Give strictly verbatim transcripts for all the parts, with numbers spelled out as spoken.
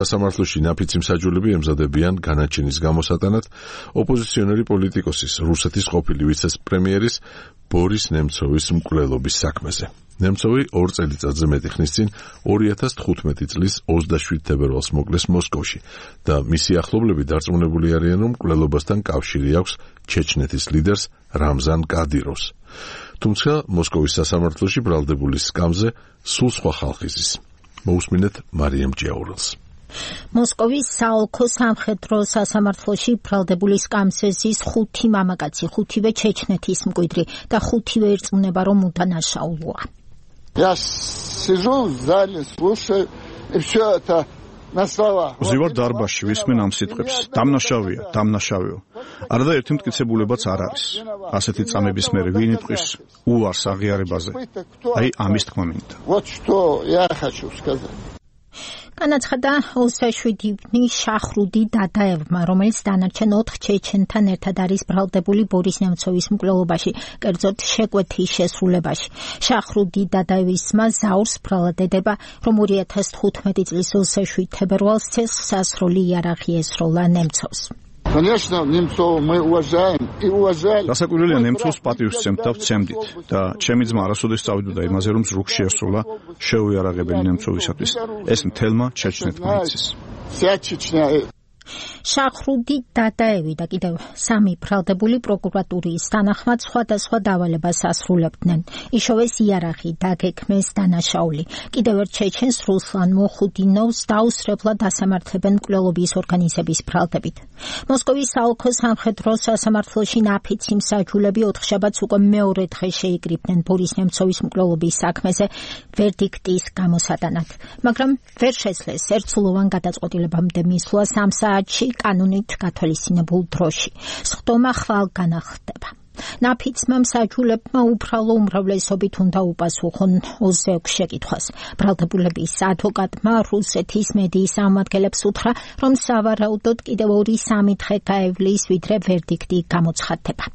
სასამართლოში ნაფიცი მსაჯულები ემზადებიან განაჩენის გამოსატანად ოპოზიციონერი პოლიტიკოსის, რუსეთის ყოფილი ვიცე-პრემიერის ბორის ნემცოვის მკვლელობის საქმეზე. ნემცოვი ორ წელიწადზე მეტი ხნის წინ ორი ათას თხუთმეტი წლის ოცდაშვიდ თებერვალს მოკლეს მოსკოვში და მისი ახლობლები დარწმუნებული არიან, რომ მკვლელობასთან კავშირი აქვს ჩეჩნეთის ლიდერს რამზან კადიროვს. თუმცა მოსკოვის სასამართლოში ბრალდებული სკამზე სულ სხვა ხალხი ზის. მოусმინეთ მარიამ ჭიაურელს. მოსკოვის საოლქო სამხედრო სასამართლოში ბრალდებული სკამზე ზის ხუთი მამაკაცი, ხუთივე ჩეჩნეთის მკვიდრი და ხუთივე ირწმუნება, რომ უდანაშაულოა. Я сижу в зале, слушаю, и все это на словах. Ზივარ დარბაზში ვისმენ ამ სიტყვებს. დამნაშავეა, დამნაშავეო. არადა ერთი მტკიცებულებაც არ არის. ასეთი წამების მერე ვინ იტყვის უარს აღიარებაზე? აი ამის თქმა მინდა. Вот что я хочу сказать. განაცხადა ოცდაშვიდი შახრუდი დადაევმა, რომელიც დანარჩენ ოთხ ჩეჩენთან ერთად არის ბრალდებული ბორის ნემცოვის მკვლელობაში, კერძოდ შეკვეთის შესრულებაში. შახრუდი დადაევის ძმა ზაურს ბრალად ედება, რომ ორი ათას თხუთმეტი წლის ოცდაშვიდ თებერვალს ცეცხლსასროლი იარაღი ესროლა ნემცოვს. Конечно, Немцова мы уважаем и уважали. Გასაკვირველია, ნემცოვს პატივს ვცემთ და ვცემდით და ჩემი ძმა არასოდეს წავიდოდა იმაზე, რომ ზრუქ შეესრულა შეუიარაღებელი ნემცოვისათვის. ეს მთელმა ჩეჩნეთმა იცის. Вся Чечня. შახრუდი დადაევი და კიდევ სამი ბრალდებული პროკურატურის თანახმად სხვადასხვა დავალებას ასრულებდნენ. იშოვეს იარაღი, დაგექმეს დანაშაული. კიდევ ერთ ჩეჩენს რუსლან მოხუდინოვს დაუსრებლად ასამართლებენ მკვლელობის ორგანიზების ბრალდებით. მოსკოვის საოლქო სამხედრო სასამართლოში ნაფიცი მსაჯულები ოთხშაბათს უკვე მეორე დღე შეიკრიბნენ ბორის ნემცოვის მკვლელობის საქმეზე ვერდიქტის გამოსატანად, მაგრამ ვერ შეძლეს ერთსულოვან გადაწყვეტილებამდე მისვლა სამ საათში კანონით გათვალისწინებულ დროში. სხდომა ხვალგან ხდება. ნაფიცმა მსაჯულებმა უბრალო უმრავლესობით უნდა უპასუხონ ოცდაექვსი შეკითხვას. ბრალდებულების ადვოკატმა რუსეთის მედიის ამადგენლებს უთხრა, რომ სავარაუდოდ კიდევ ორი სამი დღე გაევლის, ვიდრე ვერდიქტი გამოცხადდება.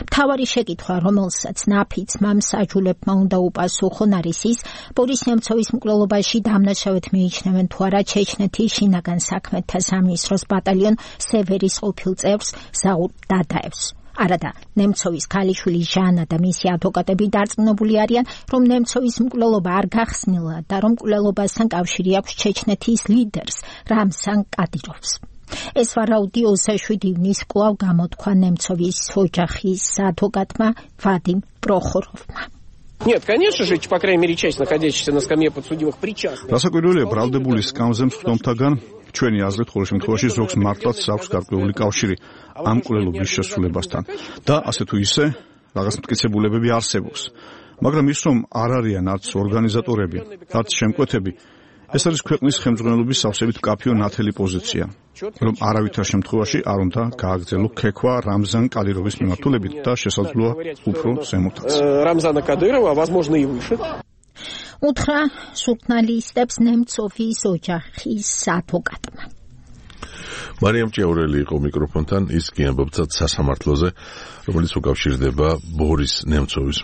მთავარი შეკითხვა, რომელსაც ნაფიცმა მსაჯულებმა უნდა უპასუხონ, არის ის, ბორის ნემცოვის მკვლელობაში დამნაშავედ მიიჩნევენ თუ არა ჩეჩნეთის შინაგან საქმეთა სამინისტროს ბატალიონ სევერის ყოფილ წევრს ზაურ დადაევს. არადა, ნემცოვის ქალიშვილი ჟანა და მისი ადვოკატები დარწმუნებული არიან, რომ ნემცოვის მკვლელობა არ გახსნილა და რომ მკვლელობასთან კავშირი აქვს ჩეჩნეთის ლიდერს რამზან კადიროვს. ეს ვარაუდი ოცდაშვიდი ივნის კვლავ გამოთქვა ნემცოვის ოჯახის ადვოკატმა ვადიმ პროხოროვმა. Нет, конечно же, по крайней мере, часть находящихся на скамье подсудимых причастны. გასაკვირველია, ბრალდებული სკამზე მსხდომთაგან ჩვენი აზრით ხოლმე შემთხვევაში ზოგს მართლაც აქვს გარკვეული კავშირი ამ მკვლელობის შესრულებასთან და ასე თუ ისე რაღაც მტკიცებულებები არსებობს. მაგრამ ის რომ არ არიან არც ორგანიზატორები, არც შემკვეთები, ეს არის ქვეყნის ხელმძღვანელობის სავსებით მკაფიო ნათელი პოზიცია, რომ არავითარ შემთხვევაში არ უნდა გააგრძელო ქექვა რამზან კადიროვის მიმართულებით და შესაძლოა უფრო ზემოთაც. რამზანა კადიროვა, возможно, и выше. უთხრა ჟურნალისტებს ნემცოვის ოჯახის ადვოკატმა. მარიამ ჭიაურელი იყო მიკროფონთან, ის კი ამბობდა სასამართლოზე, რომელიც უკავშირდება ბორის ნემცოვის